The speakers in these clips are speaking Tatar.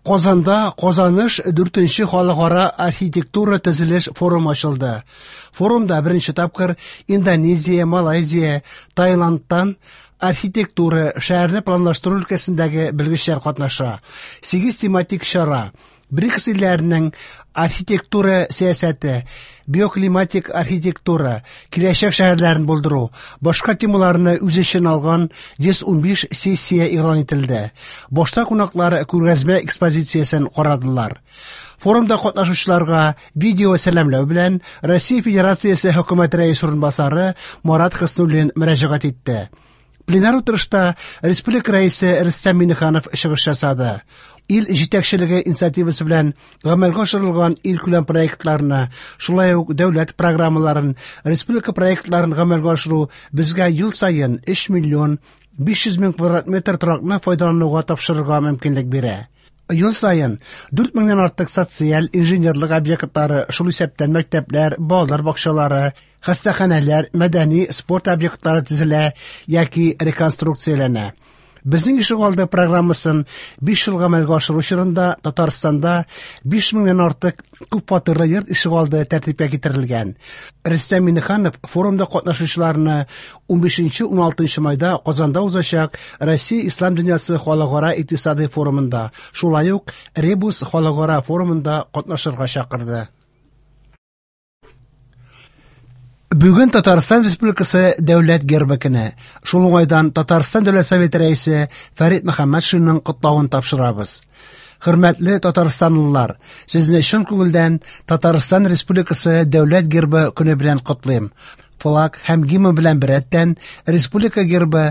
Казанда Казаныш 4нче халыкара архитектура төзелеш форумы ачылды. Форумда беренче тапкыр Индонезия, Малайзия, Таиландтан архитектура, шәһәрне планлаштыру өлкәсендәге белгечләр катнаша. 8 тематик чара БРИКС илләренең архитектура сәясәте, биоклиматик архитектура, киләчәк шәһәрләрен булдыру, башка темаларны үз эченә алган 115 сессия игълан ителде. Башта кунаклар күргәзмә экспозициясен карадылар. Форумда катнашучыларга видео сәламләү белән Россия Федерациясе Хөкүмәт Рәисе урынбасары Марат Хөснуллин мөрәҗәгать итте. Пленар утырышта республика рәисе Рөстәм Миңнеханов чыгыш ясады. Ил җитәкчелеге инициативасы белән гамәлгә ашырылган илкүләм проектларны, шулай ук дәүләт программаларын, республика проектларын гамәлгә ашыру безгә ел саен 3 миллион 500 мең квадрат метр торакны файдалануга тапшырырга мөмкинлек бирә. Ел саен 4 меңнән артык социаль, инженерлык объектлары, шул исәптән мәктәпләр, балалар бакчалары, хастаханәләр, мәдәни, спорт объектлары төзелә яки реконструкцияләнә. Безнең ишегалды программасын 5 ел гамәлгә ашыру чорында Татарстанда 5 меңнән артык күп фатирлы йорт ишегалды тәртипкә китерелгән. Рөстәм Миңнеханов форумда катнашучыларны 15-16 майда Казанда узачак Россия Ислам дөньясы халыкара икътисадый форумында, шулай ук Ребус халыкара форумында катнашырга чакырды. Бүген Татарстан Республикасы Дәүләт гербы көне. Шул уңайдан Татарстан Дәүләт Советы рәисе Фәрит Мөхәммәтшинның котлавын тапшырабыз. Хөрмәтле татарстанлылар, сезне чын күңелдән Татарстан Республикасы Дәүләт гербы көне белән котлыйм. Флаг һәм гимн белән беррәттән республика гербы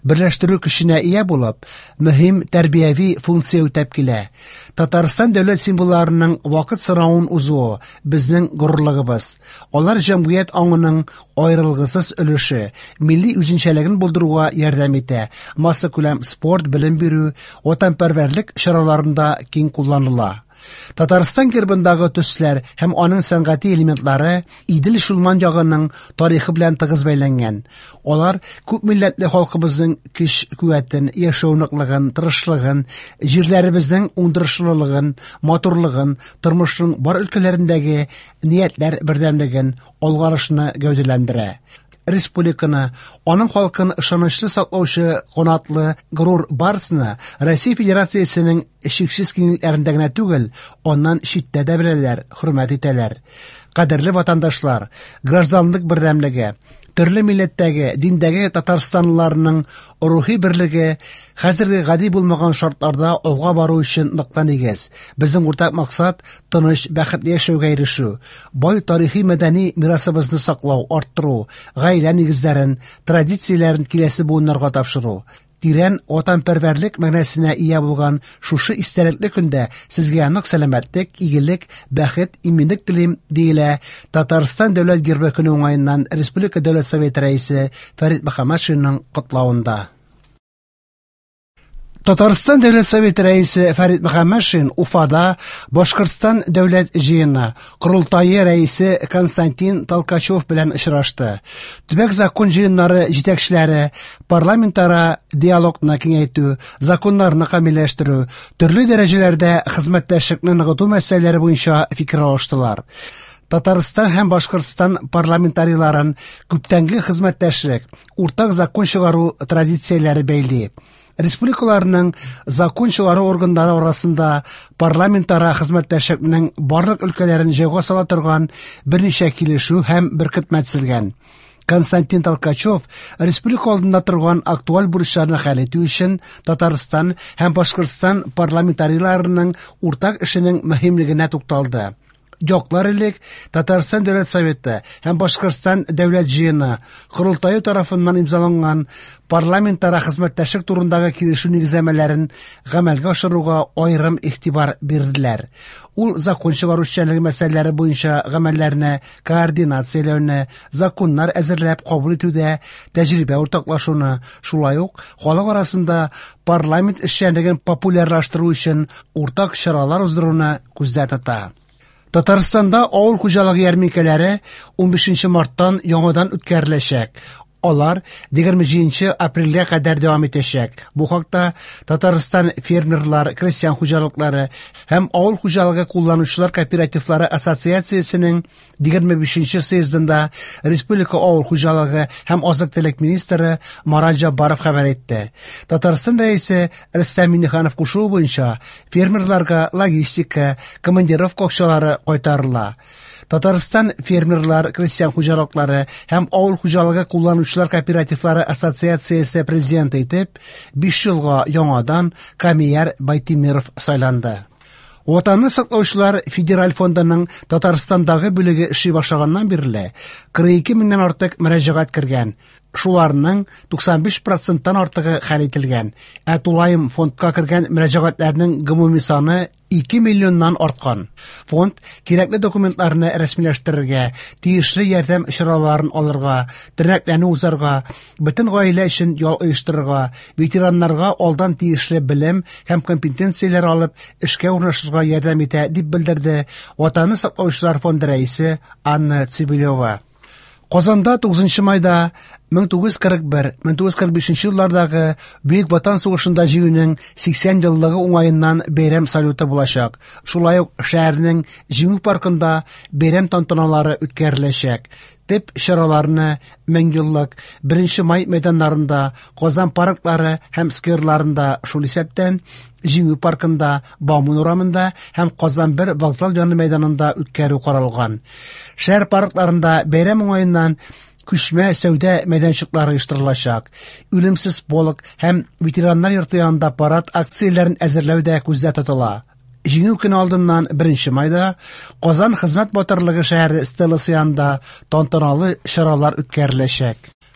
берләштерү көченә ия булып, мөһим тәрбияви функция үтәп килә. Татарстан дәүләт символларының вакыт сынавын узуы безнең горурлыгыбыз. Алар җәмгыять аңының аерылгысыз өлеше, милли үзенчәлеген булдыруга ярдәм итә, массакүләм спорт, белем бирү, ватанпәрвәрлек чараларында киң кулланыла. Татарстан гербындагы төсләр һәм аның сәнгати элементлары Идел-Чулман ягының тарихы белән тыгыз бәйләнгән. Алар күп милләтле халкыбызның көч-куәтен, яшәү ныклыгын, тырышлыгын, җирләребезнең уңдырышлылыгын, матурлыгын, тормышның бар өлкәләрендәге ниятләр бердәмлеген, алгарышны гәүдәләндерә. Республиканы, аның халкын ышанычлы саклаучы канатлы горур барсны Россия Федерациясенең чиксез киңлекләрендә генә түгел, аннан читтә дә беләләр, хөрмәт итәләр. Кадерле ватандашлар, гражданлык бердәмлеге, төрле милләттәге, диндәге татарстанлыларның рухи берлеге хәзерге гади булмаган шартларда алга бару өчен ныклы нигез. Безнең уртак максат тыныч, бәхетле яшәүгә ирешү, бай тарихи-мәдәни мирасыбызны саклау, арттыру, гаилә нигезләрен, традицияләрен киләсе буыннарга тапшыру. Тирән ватанпәрвәрлек мәгънәсенә ия булган шушы истәлекле көндә сезгә нык сәламәтлек, игелек, бәхет, иминлек телим, диелә Татарстан Дәүләт гербы көне уңаеннан Республика Дәүләт Советы рәисе Фәрит Мөхәммәтшинның котлавында. Татарстан Дәүләт Советы рәисе Фәрит Мөхәммәтшин Уфада Башкортстан Дәүләт җыены Корылтае рәисе Константин Толкачев белән очрашты. Төбәк закон җыеннары җитәкчеләре парламентара диалогны киңәйтү, законнарны камилләштерү, төрле дәрәҗәләрдә хезмәттәшлекне ныгыту мәсьәләләре буенча фикер алыштылар. Татарстан һәм Башкортстан парламентарийларын күптәнге хезмәттәшлек, уртак закон чыгару традицияләре бәйли. Республикаларның закон чыгару органнары арасында парламентара хезмәттәшлекнең барлык өлкәләрен җайга сала торган берничә килешү һәм беркетмә төзелгән. Константин Толкачев республика алдында торган актуаль бурычларны хәл итү өчен Татарстан һәм Башкортстан парламентарийларының уртак эшенең мөһимлегенә тукталды. Яклар элек Татарстан Дәүләт Советы һәм Башкортстан Дәүләт Җыены Корылтае тарафыннан имзаланган парламентара хезмәттәшлек турындагы килешү нигезләмәләрен гамәлгә ашыруга аерым игътибар бирделәр. Ул закон чыгару эшчәнлеге мәсьәләләре буенча гамәлләрне координацияләүне, законнар әзерләп кабул итүдә тәҗрибә уртаклашуны, шулай ук халык арасында парламент эшчәнлеген популярлаштыру өчен уртак чаралар уздыруны күздә тота. Татарстанда авыл хуҗалыгы ярминкәләре 15 марттан яңадан үткәреләчәк. Алар 27 апрельгә кадәр дәвам итәчәк. Бу хакта Татарстан фермерлар, крестьян хуҗалыклары һәм авыл хуҗалыгы кулланучылар кооперативлары ассоциациясенең 25 съездында республика авыл хуҗалыгы һәм азык-төлек министры Марат Җаббаров хәбәр итте. Татарстан Рәисе Рөстәм Миңнеханов кушуы буенча фермерларга логистика, командировка акчалары кайтарыла. Татарстан фермерлар, крестьян хуҗалыклары һәм авыл хуҗалыгы кулланучылар кооперативлары ассоциациясе президенты итеп 5 елга яңадан Камияр Байтимиров сайланды. Ватанны саклаучылар федераль фондының Татарстандагы бүлеге эшли башлаганнан бирле 42 меңнән артык мөрәҗәгать кергән. Шуларның 95 проценттан артыгы хәл ителгән. Ә тулаем фондка кергән мөрәҗәгатьләрнең гомуми саны 2 миллионнан арткан. Фонд кирәкле документларны рәсмиләштерергә, тиешле ярдәм чараларын алырга, тернәкләнү узарга, бөтен гаилә өчен ял оештырырга, ветераннарга алдан тиешле белем һәм компетенцияләр алып, эшкә урнашырга ярдәм итә, дип белдерде Ватанны саклаучылар фонды рәисе Анна Цивилева. Казанда 9 майда 1941-1945 еллардагы Бөек Ватан сугышында җиңүнең 80 еллыгы уңаеннан бәйрәм салюты булачак. Шулай ук шәһәрнең Җиңү паркында бәйрәм тантаналары үткәреләчәк. Төп чараларны Меңьеллык, 1 май мәйданнарында, Казан парклары һәм скверларында, шул исәптән Җиңү паркында, Бауман урамында һәм Казан 1 вокзал яны мәйданында үткәрү каралган. Шәһәр паркларында бәйрәм уңаеннан күчмә сәүдә мәйданчыклары оештырылачак. Үлемсез полк һәм ветераннар йорты янында парад акцияләрен әзерләү дә күздә тотыла. Җиңү көне алдыннан 1 майда Казан хезмәт батырлыгы шәһәре стеласы янында тантаналы чаралар үткәреләчәк.